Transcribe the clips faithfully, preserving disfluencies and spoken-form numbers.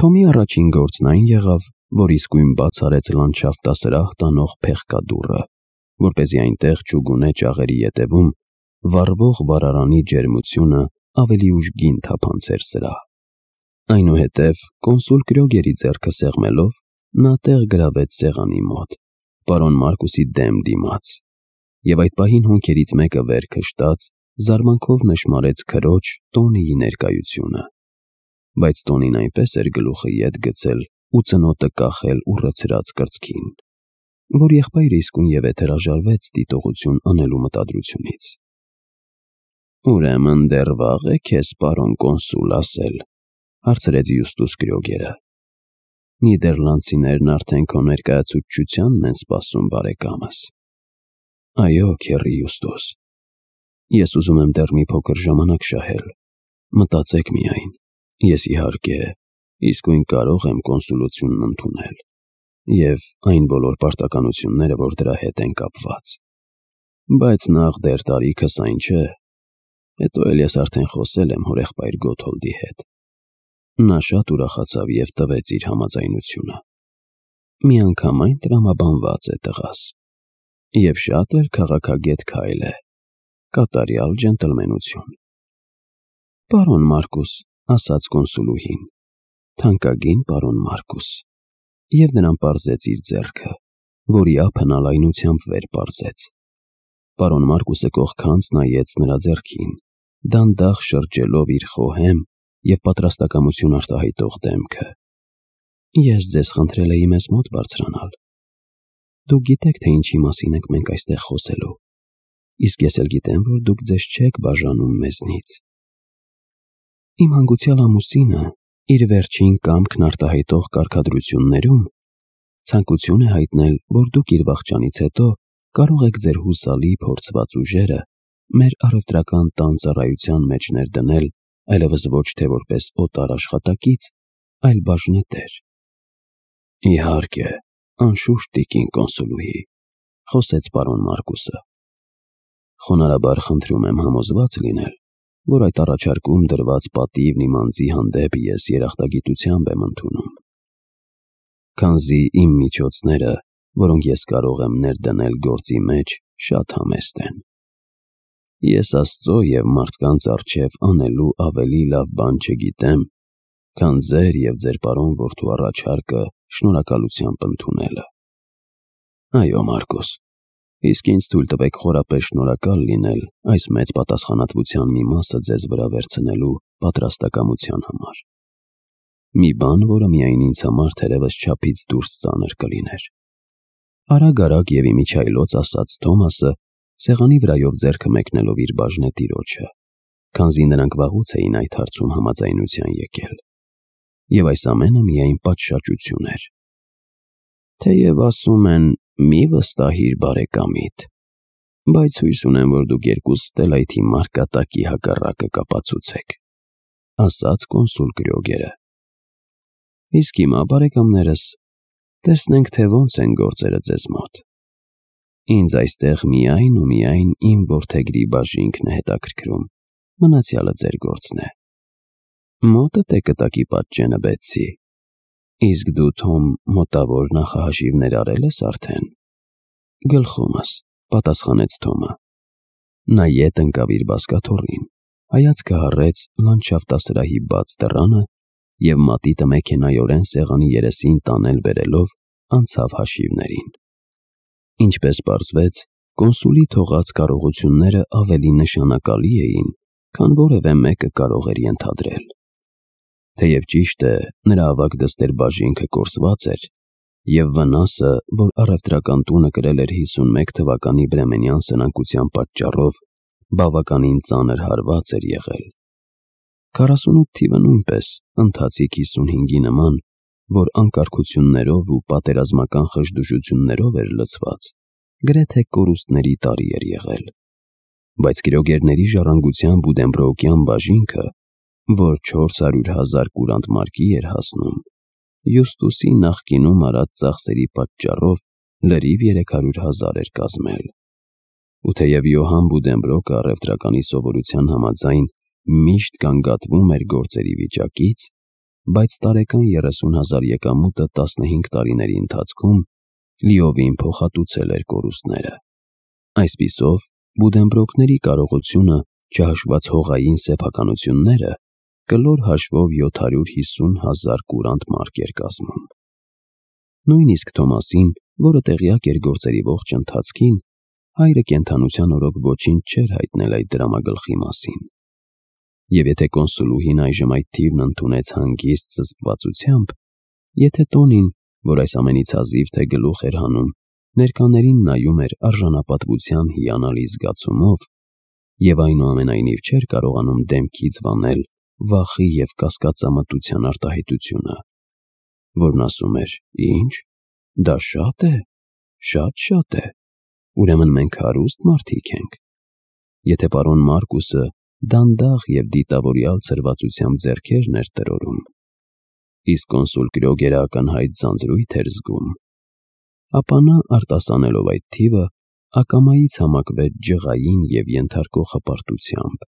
Թոմի առաջին գործն այն եղավ, որ իսկույն բաց արեց լանդշաֆտասրահ տանող փեղկադուռը, որպեսզի այնտեղ չուգունե ճաղերի ետևում վառվող վառարանի ջերմությունը ավելի ուժգին թափանցեր սրա։ Այնուհետև կոնսուլ Կրյոգերի ձեռքը սեղմելով նա տեղ գրավեց սեղանի մոտ, պարոն Մարկուսի դեմ դիմաց, և այդ պահին հոնքերից մեկը վեր քշտաց, զարմանքով նշմարեց քրոջ Տոնիի ներկայությունը, բայց Տոնին այնպես էր գլուխը ետ գցել ու ծնոտը կախել ուռեցրած կրծքին, որ եղբայրը իսկույնևեթ հրաժարվեց դիտողություն անելու մտադրությունից։ «Ուրեմն դեռ վաղ է քեզ, պարոն կոնսուլ, ասել», հարցրեց Յուստուս Կրյոգերը։ «Նիդերլանդցիներն արդեն քո ներկայացուցչությանն են սպասում, բարեկամս»։ «Այո, քեռի Յուստուս, ես ուզում եմ դեռ մի փոքր ժամանակ շահել, մտածեք միայն, ես իհարկե իսկույն կարող եմ կոնսուլությունն ընդունել և այն բոլոր պարտականությունները, որ դրա հետ են կապված, բայց նախ դեռ տարիքս այն չէ, հետո էլ ես արդեն խոսել եմ հորեղբայր Գոթոլդի հետ, նա շատ ուրախացավ և տվեց իր համաձայնությունը, միանգամայն տրամաբանված է տղաս, և շատ էլ քաղաքագետ քայլ է, կատարյալ ջենտլմենություն»։ «Պարոն Մարկուս», ասաց կոնսուլուհին, «թանկագին պարոն Մարկուս», և նրան պարզեց իր ձեռքը, որի ափը նա լայնությամբ վեր պարզեց։ Պարոն Մարկուսը կողքանց նայեց նրա ձեռքին, դանդաղ շրջելով իր խոհեմ և պատրաստակամություն արտահայտող դեմքը։ «Ես ձեզ խնդրել էի մեզ մոտ բարձրանալ։ Դուք գիտեք, թե ինչի մասին ենք մենք այստեղ խոսելու, իսկ ես էլ գիտեմ, որ դուք ձեզ չեք բաժանում մեզնից։ Իմ հանգուցյալ ամուսինը իր վերջին կամքն արտահայտող կարգադրություններում ցանկություն է հայտնել, որ դուք իր վախճանից հետո կարող եք ձեր հուսալի փորձված ուժերը մեր առևտրական տան ծառայության մեջ ներդնել այլևս ոչ թե որպես օտար աշխատակից, այլ բաժնետեր»։ «Իհարկե, անշուշտ, տիկին կոնսուլուհի», խոսեց պարոն Մարկուսը։ «Խոնարհաբար խնդրում եմ համոզված լինել, որ այդ առաջարկում դրված պատիվն իմ անձի հանդեպ ես երախտագիտությամբ եմ ընդունում, քանզի իմ միջոցները, որոնք ես կարող եմ ներդնել գործի մեջ, շատ համեստ են։ Ես Աստծո և մարդկանց առջև անելու ավելի լավ բան չգիտեմ, քան ձեր և ձեր պարոն որդու առաջարկը շնորհակալությամբ ընդունելը։ Այո, Մարկուս, իսկ ինձ թույլ տվեք խորապես շնորհակալ լինել այս մեծ պատասխանատվության մի մասը ձեզ վրա վերցնելու պատրաստակամության համար։ Մի բան, որը միայն ինձ համար թերևս չափից դուրս ծանր կլիներ»։ Արագ-արագ և իմիջիայլոց ասաց Թոմասը, սեղանի վրայով ձեռքը մեկնելով իր բաժնետիրոջը, քանզի նրանք վաղուց էին այդ հարցում համաձայնության եկել, և այս ամենը միայն պատշաճություն էր։ «Թեև ասում են՝ մի վստահիր բարեկամիդ, բայց հույս ունեմ, որ դուք երկուսդ էլ այդ իմ մարկատակի հակառակը կապացուցեք», ասաց կոնսուլ Կրյոգերը։ «Իսկ հիմա, բարեկամներս, տեսնենք, թե ոնց են գործերը ձեզ մոտ։ Ինձ այստեղ միայն ու միայն իմ որդեգրի բաժինքն է հետաքրքրում, մնացյալը ձեր գործն է։ Մոտդ է կտակի պատճենը, Բեթսի, իսկ դու, Թոմ, մոտավոր նախահաշիվներ արել ես արդեն»։ «Գլխումս», պատասխանեց Թոմը։ Նա ետ ընկավ իր բազկաթոռին, հայացքը հառեց լանդշաֆտասրահի բաց դռանը և մատիտը մեքենայորեն սեղանի երեսին տանել֊բերելով անցավ հաշիվներին։ Ինչպես պարզվեց, կոնսուլի թողած կարողությունները ավելի նշանակալի էին, քան որևէ մեկը կարող էր ենթադրել։ Թեև ճիշտ է, նրա ավագ դստեր բաժինքը կորսված էր, և վնասը, որ առևտրական տունը կրել էր հիսունմեկ թվականի բրեմենյան սնանկության պատճառով, բավականին ծանր հարված էր եղել։ քառասունութ թիվը նույնպես, ընթացիկ հիսունհինգի նման, որ անկարգություններով ու պատերազմական խժդուժություններով էր լցված, գրեթե կորուստների տարի էր եղել։ Բայց Կրյոգերների ժառանգության Բուդենբրոուկյան բաժինքը, որ չորս հարյուր հազար կուրանտ մարկի էր հասնում, Յուստուսի նախկինում արած ծախսերի պատճառով լրիվ երեք հարյուր հազար էր կազմել։ Ու թեև Յոհան Բուդենբրոկը առևտրականի սովորության համաձայն միշտ գանգատվում էր գործերի վիճակից, բայց տարեկան երեսուն հազար եկամուտը տասնհինգ տարիների ընթացքում լիովին փոխհատուցել էր կորուստները։ Այսպիսով, Բուդենբրոկների կարողությունը, չհաշված հողային սեփականությունները, կլոր հաշվով յոթ հարյուր հիսուն հազար կուրանտ մարկ էր կազմում։ Նույնիսկ Թոմասին, որը տեղյակ էր գործերի ողջ ընթացքին, հայրը կենդանության օրոք ոչինչ չէր հայտնել այդ դրամագլխի մասին։ Եվ եթե կոնսուլուհին այժմ այդ թիվն ընդունեց հանգիստ զսպվածությամբ, եթե տոնին, որ այս ամենից հազիվ թե գլուխ էր հանում, ներկաներին նայում էր արժանապատվության հիանալի զգացումով, և այնուամենայնիվ չէր կարողանում դեմքից վանել վախի և կասկածամտության արտահայտությունը, որն ասում էր. «Ի՞նչ, դա շատ է, շատ-շատ է, ուրեմն մենք հարուստ մարդիկ ենք»։ Եթե պարոն Մարկուսը դանդաղ և դիտավորյալ ցրվածությամբ ձեռքերն էր տրորում, իսկ կոնսուլ Կրյոգերը ակնհայտ ձանձրույթ էր զգում, ապա նա, արտասանելով այդ թիվը, ակամայից համակվեց ջղային և ենթարկող հպարտությամբ,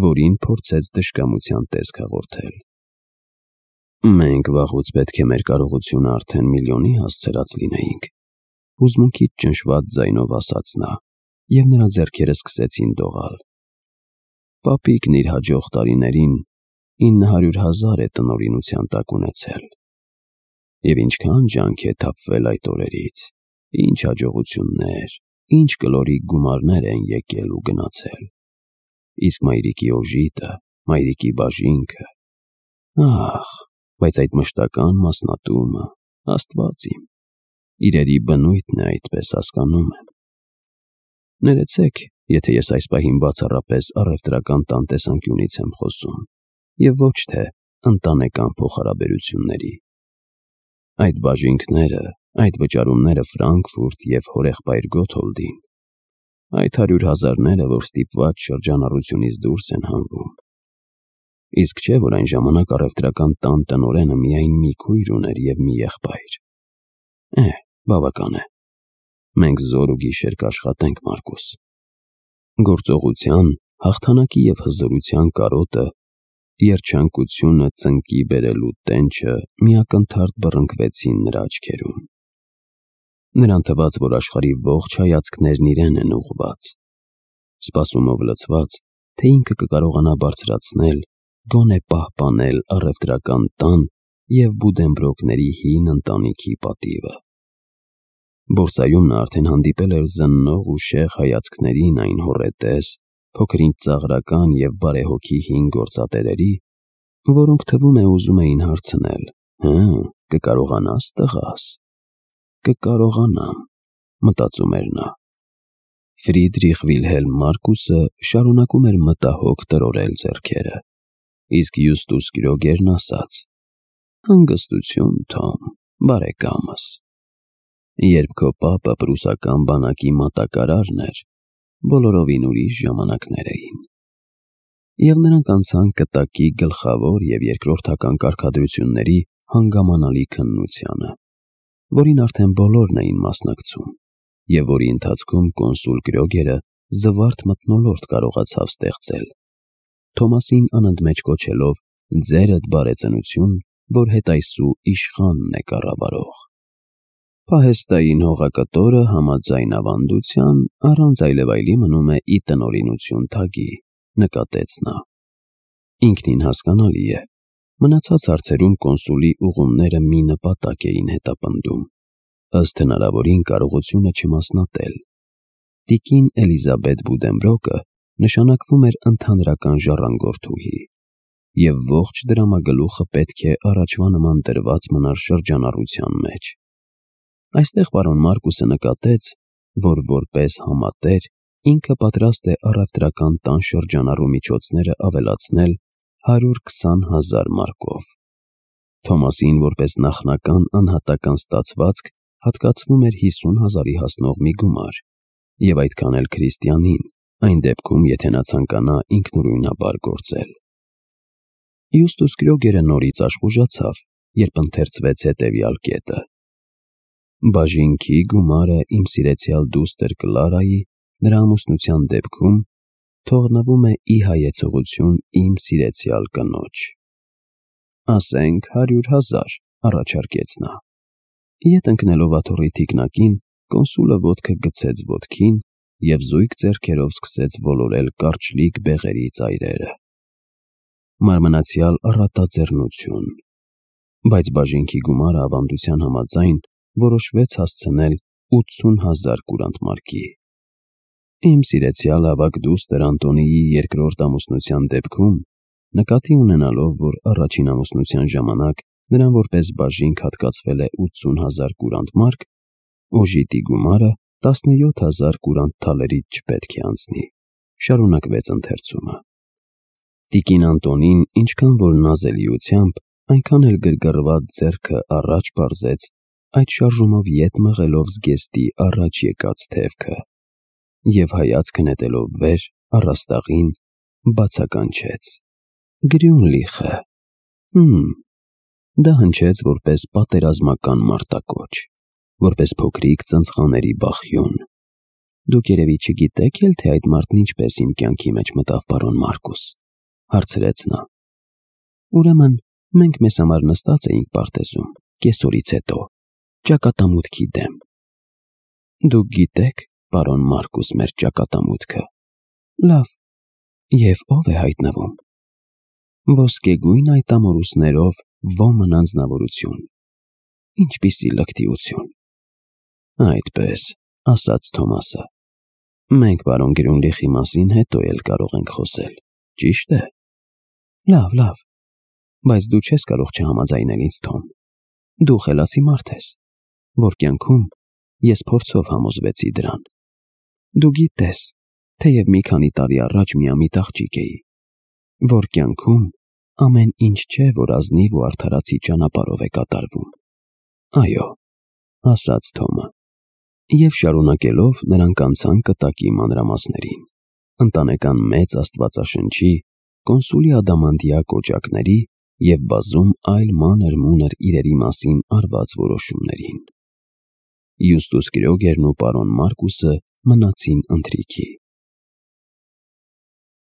որին փորձեց դժկամության տեսք հաղորդել։ «Մենք վաղուց պետք է մեր կարողությունը արդեն միլիոնի հասցրած լինեինք», հուզմունքից ճնշված ձայնով ասաց նա, և նրա ձեռքերը սկսեցին դողալ։ «Պապիկն իր հաջող տարիներին ինը հարյուր հազար է տնօրինության տակ ունեցել։ Եվ ինչքան ջանք է թափվել այդ օրերից, ինչ հաջողություններ, ինչ կլորիկ գումարներ են եկել ու գնացել։ Իսկ մայրիկի օժիտը, մայրիկի բաժինքը… Ահ, բայց այդ մշտական մասնատումը… Աստված իմ, իրերի բնույթն է այդպես, հասկանում եմ։ Ներեցեք, եթե ես այս պահին բացառապես առևտրական տան տեսանկյունից եմ խոսում, և ոչ թե ընտանեկան փոխհարաբերությունների։ Այդ բաժինքները, այդ վճարումները Ֆրանկֆուրտ և հորեղբայր Գոթոլդին, այդ հարյուր հազարները, որ ստիպված շրջանառությունից դուրս են հանվում… Իսկ չէ, որ այն ժամանակ առևտրական տան տնօրենը միայն մի քույր ուներ և մի եղբայր… Է՛հ, բավական է, մենք զոր ու գիշեր կաշխատենք, Մարկուս»։ Գործողության, հաղթանակի և հզորության կարոտը, երջանկությունը ծնկի բերելու տենչը մի ակնթարթ բռնկվեցին նրա աչքերում։ Նրան թվաց, որ աշխարհի ողջ հայացքներն իրեն են ուղղված, սպասումով լցված, թե ինքը կկարողանա բարձրացնել, գոնե պահպանել առևտրական տան և Բուդենբրոկների հին ընտանիքի պատիվը։ Բորսայում նա արդեն հանդիպել էր զննող ու շեղ հայացքներին այն հոռետես, փոքր-ինչ ծաղրական և բարեհոգի հին գործատերերի, որոնք, թվում է, ուզում էին հարցնել. «Հը՞, կկարողանա՞ս, տղաս»։ «Կկարողանամ», մտածում էր նա։ Ֆրիդրիխ Վիլհելմ Մարկուսը շարունակում էր մտահոգ տրորել ձեռքերը, իսկ Յուստուս Կրյոգերն ասաց. «Հանգստություն, Թոմ, բարեկամս։ Երբ քո պապը պրուսական բանակի մատակարարն էր, բոլորովին ուրիշ ժամանակներ էին»։ Եվ նրանք անցան կտակի գլխավոր և երկրորդական կարգադրությունների հանգամանալի քննությանը, որին արդեն բոլորն էին մասնակցում, և որի ընթացքում կոնսուլ Կրյոգերը զվարթ մթնոլորտ կարողացավ ստեղծել, Թոմասին անընդմեջ կոչելով «ձերդ բարեծնություն, որ հետայսու իշխանն է կառավարող»։ Պահեստային հողակտորը համաձայն ավանդության առանց այլևայլի մնում է ի տնօրինություն թագի, նկատեց նա։ Ինքնին հասկանալի է, մնացած հարցերում կոնսուլի ուղումները մի նպատակ էին հետապնդում, ըստ հնարավորին կարողությունը չմասնատել։ Տիկին Էլիզաբետ Բուդենբրոկը նշանակվում էր ընդհանրական ժառանգորդուհի, և ողջ դրամագլուխը պետք է առաջվա նման դրված մնար շրջանառության մեջ։ Այստեղ պարոն Մարկուսը նկատեց, որ որպես համատեր ինքը պատրաստ է առևտրական տան շրջանառու միջոցները ավելացնել հարյուր քսան հազար մարկով։ Թոմասին որպես նախնական անհատական ստացվածք հատկացվում էր հիսուն հազարի հասնող մի գումար, և այդքան էլ քրիստիանին, այն դեպքում, եթե նա ցանկանա ինքնուրույնաբար գործել։ Յուստուս Կրյոգերը նորից աշխուժացավ, երբ ընթերցվեց հետևյալ կետը. «Բաժինքի գումարը իմ սիրեցյալ դուստր Կլարայի, նրա ամուսնության դեպքում, թողնվում է ի հայեցողություն իմ սիրեցյալ կնոջ»։ Ասենք հարյուր հազար, առաջարկեց նա։ Ետ ընկնելով աթոռի թիկնակին, կոնսուլը ոտքը գցեց ոտքին և զույգ ձեռքերով սկսեց ոլորել կարճլիկ բեղերի ծայրերը։ Մարմնացյալ առատաձեռնություն։ Բայց բաժինքի գումարը ավանդության համաձայն որոշվեց հասցնել ութսուն հազար կուրանտ մարկի։ Իմ սիրեցյալ ավագ դուստր Անտոնիի երկրորդ ամուսնության դեպքում, նկատի ունենալով, որ առաջին ամուսնության ժամանակ նրան որպես բաժինք հատկացվել է ութսուն հազար կուրանտ մարկ, օժիտի գումարը տասնյոթ հազար կուրանտ թալերից չպետք է անցնի, շարունակվեց ընթերցումը։ Տիկին Անտոնին ինչքան որ նազելիությամբ, այնքան էլ գրգռված ձեռքը առաջ պարզեց, այդ շարժումով ետ մղելով զգեստի առաջ եկած թևքը, և հայացքը նետելով վեր, առաստաղին, բացականչեց. Գրյունլիխը։ Հըմ։ Դա հնչեց որպես պատերազմական մարտակոչ, որպես փոքրիկ ծնծղաների բախյուն։ Դուք երևի չգիտեք էլ, թե այդ մարդն ինչպես իմ կյանքի մեջ մտավ, պարոն Մարկուս, հարցրեց նա։ Ուրեմն մենք մեզ համար նստած էինք պարտեզում, կեսօրից հետո, ճակատամուտքի դեմ։ Դուք գիտեք, պարոն Մարկուս, մեր ճակատամուտքը։ Լավ, և ով է հայտնվում։ Ոսկեգույն այդ ամորուսներով ոմն անձնավորություն։ Ինչպիսի լկտիություն։ Այդպես, ասաց Թոմասը։ Մենք պարոն Գրյունլիխի մասին հետո էլ կարող ենք խոսել, ճիշտ է։ Լավ, լավ, բայց դու չես կարող չհամաձայնել ինձ, Թոմ։ Դու խելացի մարդ ես, որ կյանքում ես փորձով համոզվեցի դրան։ Դու գիտես, թեև մի քանի տարի առաջ միամիտ աղջիկ էի, որ կյանքում ամեն ինչ չէ, որ ազնիվ ու արդարացի ճանապարհով է կատարվում։ Այո, ասաց Թոմը։ Եվ շարունակելով նրանք անցան կտակի մանրամասներին, ընտանեկան մեծ աստվածաշնչի, կոնսուլի ադամանդյա կոճակների և բազում այլ մանր-մունր իրերի մասին արված որոշումներին։ Յուստուս Կրոգերն ու պարոն Մարկուսը մնացին ընթրիքի։